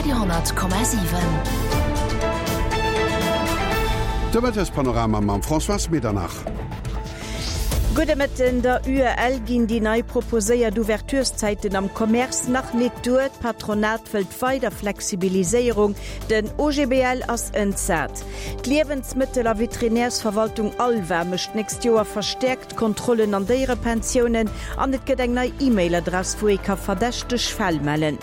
Radio,7. De Mëttespanorama mam Françoise Medernach. Gudde Mëtten. Der UEL ginn déi nei proposéiert Ouvertureszäiten am Commerce nach nit duer. D'Patronat wëllt weider Flexibiliséierung. Den OGBL ass entsat. D'Liewensmëttel a Veterinärsverwaltung ALVA mécht d'nächst Joer verstäerkt Kontrollen an Déierepensiounen an et gëtt eng nei E-Mail-Adress, wou ee ka verdächteg Fäll mellen.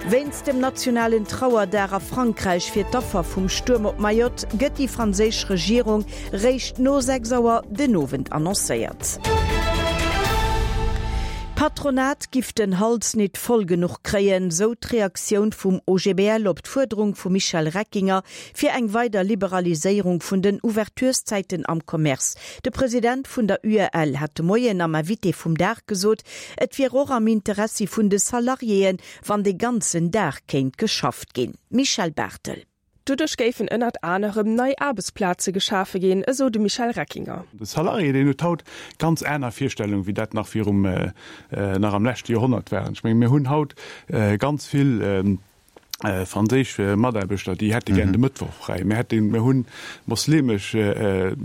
Wéinst dem nationalen Trauerdag a Frankräich fir d'Affer vum Stuerm op Mayotte gëtt déi franséisch Regierung réischt no 6 Auer den Owend annoncéiert. D'Patronat giff den Hals nit voll genuch kréien, sou d'Reaktioun vum OGBL op d'Fuerderung vum Michel Reckinger fir eng weider Liberaliséierung vun den Ouvertureszäiten am Commerce. De President vun der UEL hat de Moien am Invité vum Dag gesot, et wier och am Interessi vun de Salariéen, wann de ganzen Dag kéint geschafft ginn. Michèle Barthel. Doduerch géifen ënnert anerem nei Aarbechtsplaze geschafe ginn, esou de Michel Reckinger. De Salarié, deen huet haut ganz aner Virstellungen, wéi dat nach virum, nach am leschte Joerhonnert waren. Ech menge mir hunn haut ganz vill franséisch Mataarbechter, déi hätte gär de Mëttwoch fräi. Mir hätte, mir hunn moslemesch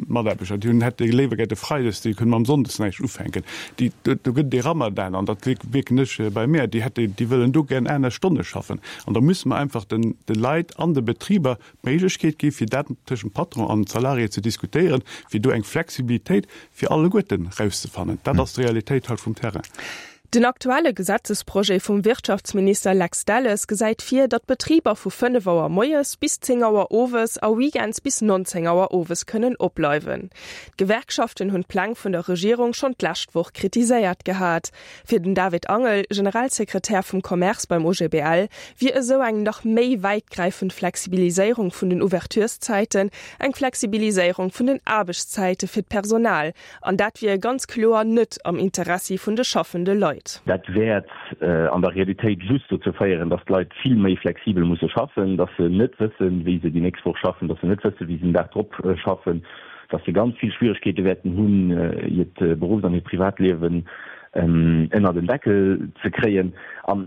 Mataarbechter, déi hunn, hätte léiwer gär de Freides, déi kënnen mam Sonndes näischt ufänken. Déi, do gëtt et ee Ramadan, an dat wierken ech bei mär, déi hätte, déi wëllen do gär aner Stonne schaffen. An da musse mer einfach den, de Leit an de Betriber d'Méiglechkeet gi fir dat tëschent Patron an Salarié ze diskutéieren, fir do eng Flexibilitéit fir alleguerten erauszefannen. Dat ass d'Realitéit haut vum Terrain. Den aktuelle Gesetzesprojet vum Wirtschaftsminister Lex Delles gesäit vir, datt d'Betriber vu 5 Auer moies bis 10 Auer owes a weekends bis 19 Auer owes kënnen opbleiwen. D'Gewerkschaften hunn d'Pläng vun der Regierung schonn d'lescht Woch kritiséiert gehat. Fir den David Angel, Generalsekretär vum Commerce beim OGBL, wier esou eng nach méi wäitgräifend Flexibiliséierung vun den Ouvertureszäiten eng Flexibiliséierung vun den Aarbechtszäite fir d'Personal, An dat wier ganz kloer net am Interessi vun de schaffende Leit. Dat wäert an der Realitéit just dozou féieren, dass d'Leit vill méi flexibel musse schaffen, dass se net wëssen, wéi se déi nächst Woch schaffen, dass se net wëssen, wéi se den Dag drop schaffen, dass se ganz vill Schwieregkeete wäerten hunn, hiert Beruffs an hiert Privatliewen ënnert en Deckel ze kréien. An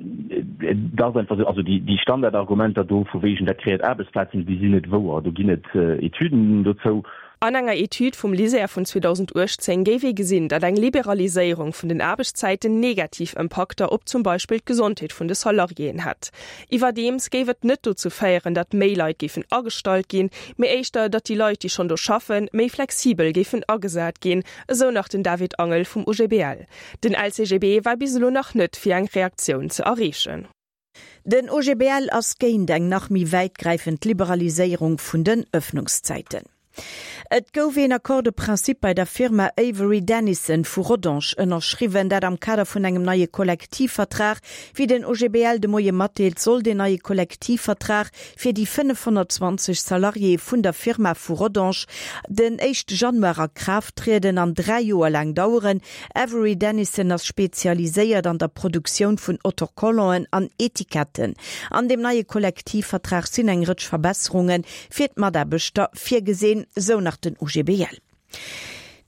et ass einfach esou, also déi Standardargumenter do vu wegen, dat kreéiert Aarbechtsplazen, déi sinn net wouer. Do ginn et Etüden dozou. An enger Etüd vum LISER vun 2018 géif ee gesinn, datt eng Liberaliséierung vun den Aarbechtszäiten negativ Impakter op zum Beispill d'Gesondheet vun de Salariéen hätt. Iwwerdeems géif et net dozou féieren, datt méi Leit géifen agestallt ginn, mee éischter, datt déi Leit, déi schonn do schaffen, méi flexibel géifen agesat ginn, esou nach den David Angel vum OGBL. Den LCGB war bis elo nach net fir eng Reaktioun ze erreechen. Den OGBL ass géint eng nach méi wäitgräifend Liberaliséierung vun den Ëffnungszäiten. Et gouf een Accord de principe bei der Firma Avery Dennison vu Rodange ënnerschriwwen, dat am Kader vun engem neie Kollektivvertrag. Wéi den OGBL de Moie matdeelt, soll deen neie Kollektivvertrag fir déi 520 Salariéë vun der Firma vu Rodange den éischte Januar a Kraaft trieden an 3 Joer laang daueren. Avery Dennison ass spezialiséiert an der Produktioun vun Autocollanten an Etiketten. An deem neie Kollektivvertrag sinn eng Rëtsch Verbesserunge fir d'Mataarbechter virgesinn, sou nach den OGBL.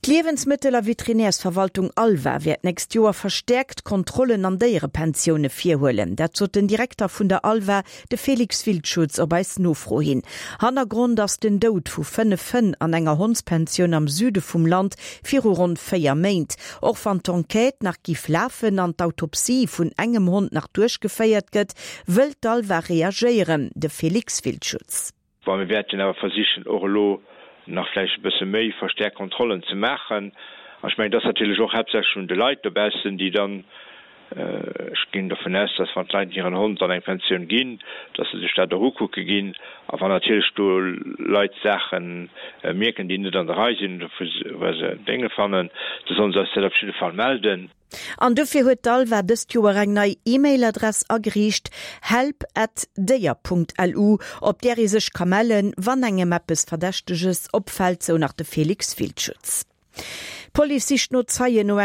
D'Liewensmëttel a Veterinärsverwaltung ALVA wäert d'nächst Joer verstäerkt Kontrollen an Déierepensioune virhuelen. Dat sot den Direkter vun der ALVA, De Félix Wildschutz op eis Nofro hin. Hannergrond ass den Doud vu 5 Hënn an enger Hondspensioun am Süde vum Land viru ronn 4 Méint. Och wann d'Enquête nach giff lafen an d'Autopsie vun engem Hond nach duerchgeféiert gëtt, wëll d'Alva reagéieren. De Félix Wildschutz. Bon, mir wäerten awer versichen, och elo nach vläicht e bësse méi verstärkt Kontrollen ze maachen. An ech mengen, et ass natierlech och haaptsächlech un de Leit dobaussen, déi dann, ech ginn dovun aus, dass wann d'Leit hiren Hond an eng Pensioun ginn, dass se sech dat och ukucke ginn. A wann natierlech do Leit Saache mierken, déi net an der Rei sinn oder wou se Dénge fannen, da sollen se eis dat op jidde Fall melden. An dofir huet d'ALVA dëst Joer eng nei E-Mail-Adress ageriicht, help at déier.lu, op där ee sech ka mellen, wann engem eppes Verdächteges opfält, sou nach de Félix Wildschutz. D'Police sicht no Zeien no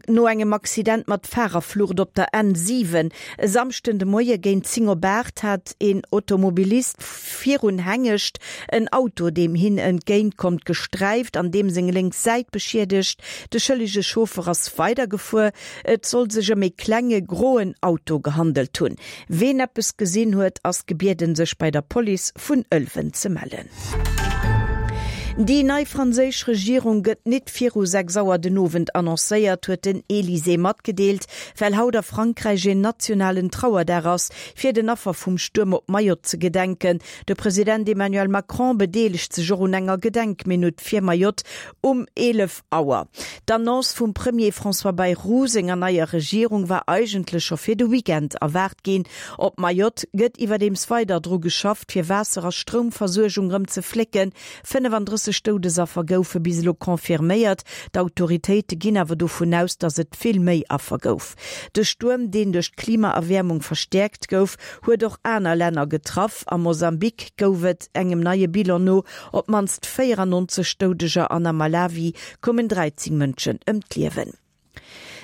no engem Accident mat Farerflucht op der N7. E Samschden de Moie géint 10 op 8 hat een Automobilist virun Hengescht en Auto, deem hien entgéint kommt, gesträift an deem seng lénks Säit beschiedegt. De schëllege Chauffer ass weidergefuer. Et soll sech ëm ee klenge groen Auto gehandelt hunn. Ween eppes gesinn huet, ass gebieden sech bei der Police vun Ëlwen ze mellen. Déi nei franséisch Regierung gëtt nit viru 6 Auer den Owend annoncéiert, huet den Elysée matgedeelt. Well haut a Frankräich een nationalen Trauerdag ass, fir den Affer vum Stuerm op Mayotte ze gedenken. De President Emmanuel Macron bedeelegt sech och un enger Gedenkminutt fir Mayotte um 11 Auer. D'Annonce vum Premier François Bayrou senger neier Regierung war eigentlech scho fir de Weekend erwaart ginn. Op Mayotte gëtt iwwerdeems weider dru geschafft, fir Waasser a Stroumversuergung rëm ze flécken. 35 Doudesaffer goufe bis elo confirméiert. D'autoritéite ginn awer dovun aus, datt et vill méi Affer gouf. De Stuerm, deen duerch d'Klimaerwäermung verstäerkt gouf, huet och aner Länner getraff. A Mosambik gouf et engem neie Bilan no Op d'mannst 94 Doudeger an am Malawi koumen 13 Mënschen ëm d'Liewen.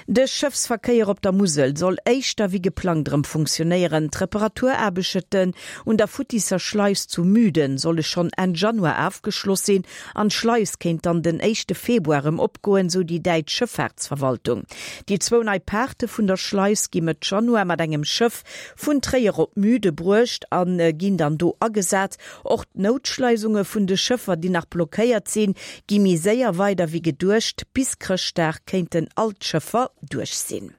De Schëffsverkéier op der Musel soll éischter wéi geplangt erëm funktionéieren. D'Reparaturaarbechten un der futtisser Schleis zu Müden solle schonn Enn Januar afgeschloss sinn an d'Schleis kéint dann den éischte Februar erëm opgoen, sou déi däitsch Schëffaartsverwaltung. Déi zwou nei Paarte vun der Schleis gi Mëtt Januar mat engem Schëff vun Tréier op Müde bruecht a ginn dann do agesat. Och d'Noutschleisunge vun de Schëffer, déi nach blockéiert sinn, gi méi séier weider wéi geduecht. Bis Chrëschtdag kéinten all d'Schëffer duerch sinn.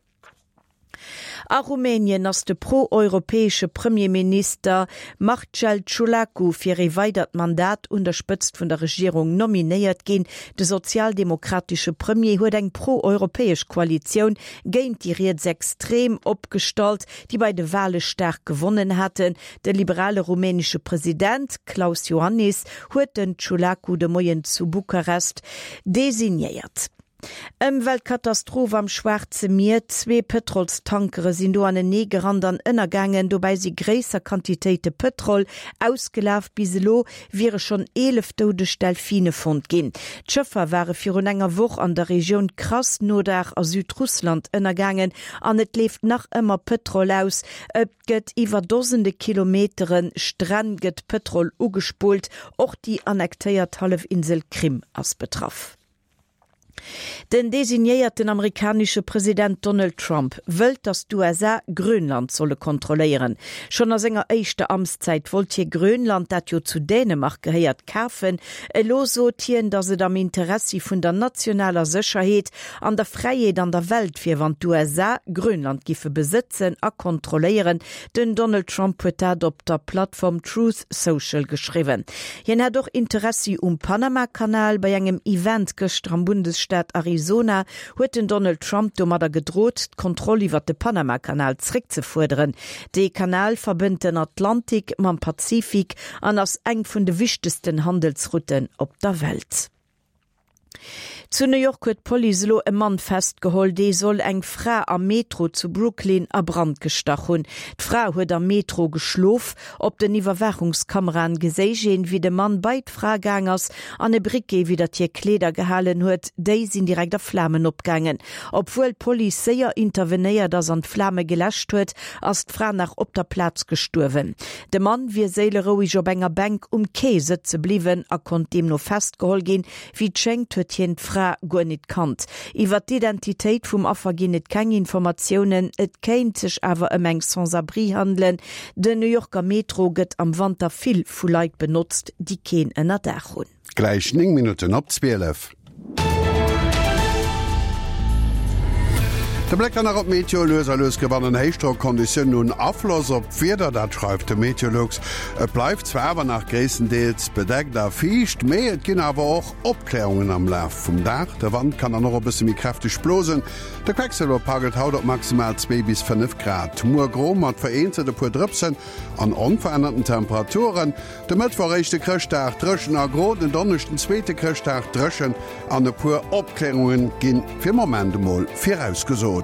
A Rumänien ass de pro-europäesche Premierminister Marcel Ciolacu fir ee weidert Mandat un der Spëtzt vun der Regierung nominéiert ginn. De sozialdemokratesche Premier huet eng pro-europäesch Koalitioun géint déi Rietsextrem opgestallt, déi bei de Wale staark gewonnen haten. De liberale rumänesche President Klaus Iohannis huet den Ciolacu de Moien zu Bukarest designéiert. Ëmweltkatastroph am Schwaarze Mier, Zwee Pëtrolstankere sinn do anenee gerannt an ënnergaangen. Dobäi si gréisser Quantitéite Pëtrol ausgelaf. Bis elo wiere schonn 11 doudeg Delfine fonnt ginn. D'Schëffer ware virun enger Woch an der Regioun Krasnodar a Südrussland ënnergaangen an et leeft nach ëmmer Pëtrol aus. Et gëtt iwwer Dosende Kilometere Stränn gëtt Pëtrol ugespullt. Och déi annektéiert Hallefinsel Krim ass betraff. Den designéierten amerikanesche President Donald Trump wëllt, datt d'USA Grönland solle kontrolléieren. Schonn a senger éischter Amtszäit wollt hie Grönland, dat jo zu Dänemark gehéiert, kafen. Elo sot hien, datt et am Interessi vun der nationaler Sécherheet an der Fräiheet an der Welt wier, wann d'USA Grönland giffe besëtzen a kontrolléieren. Den Donald Trump huet dat op der Plattform Truth Social geschriwwen. Hien hätt och Interessi um Panama-Kanal. Bei engem Event gëschter am Bundesstaat Arizona huet den Donald Trump domadder gedrot, d'Kontroll iwwer de Panama-Kanal zréckzefuerderen. Dee Kanal verbënnt den Atlantik mam Pazifik an ass eng vun de wichtegsten Handelsrouten op der Welt. Zu New York huet d'Police elo e Mann festgeholl, dee soll eng Fra am Metro zu Brooklyn a Brand gestach hunn. D'Fra huet am Metro geschlof. Op den Iwwerwaachungskameraen geséich een, wéi de Mann bei d'Fra gaang ass an e Briquet widdert hir Kleeder gehalen huet. Déi sinn direkt a Flamen opgaangen. Obwuel d'Police séier intervenéiert ass an d'Flame geläscht huet, ass d'Fra nach op der Plaz gestuerwen. De Mann wier séileroueg op enger Bänk um Quai sëtze bliwwen a konnt deemno festgeholl ginn. Wéi et schéngt, huet hien d'Fra guer nit kannt. Iwwer d'Identitéit vum Affer ginn et keng Informatiounen, et kéint sech awer ëm eng Sans-abri handelen. Den New Yorker Metro gëtt am Wanter vill vu Leit benotzt, déi keen Ënnerdaach hunn. Gläich 9 Minutten op 12. De Bléck dann nach op d'Meteo, Lues a lues gewannen Héichdrockconditiounen un Afloss op d'Wieder, dat schreift de Meteolux. Et bleift zwar awer nach gréisstendeels bedeckt a fiicht, mee et ginn awer och Opklärungen am Laf vum Dag. De Wand kann dann och e bësse méi kräfteg blosen. De Quecksëlwer pagelt haut op maximal 2 bis 5 Grad. Muer gro mat vereenzelt e puer Drëpsen an onverännerten Temperaturen. De Mëttwoch, éischte Chrëschtdag, dréchen a gro, den Donneschden, zweete Chrëschtdag, dréchen an e puer Opklärunge gi fir Moment emol virausgesot.